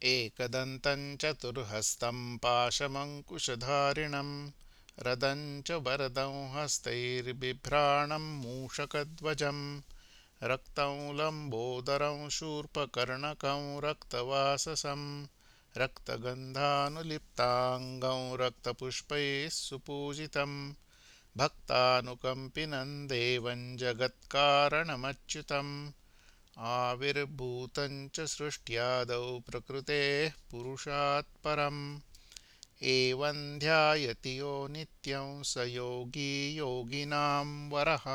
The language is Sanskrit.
एकदन्तं चतुर्हस्तं पाशमङ्कुशधारिणं रदं च वरदं हस्तैर्बिभ्राणं मूषकध्वजं रक्तं लम्बोदरं शूर्पकर्णकं रक्तवाससं रक्तगन्धानुलिप्ताङ्गं रक्तपुष्पैः सुपूजितं भक्तानुकम्पिनं देवं जगत्कारणमच्युतम् आविर्भूतं च सृष्ट्यादौ प्रकृतेः पुरुषात् परम् एवं ध्यायति यो नित्यं स योगी योगिनां वरः।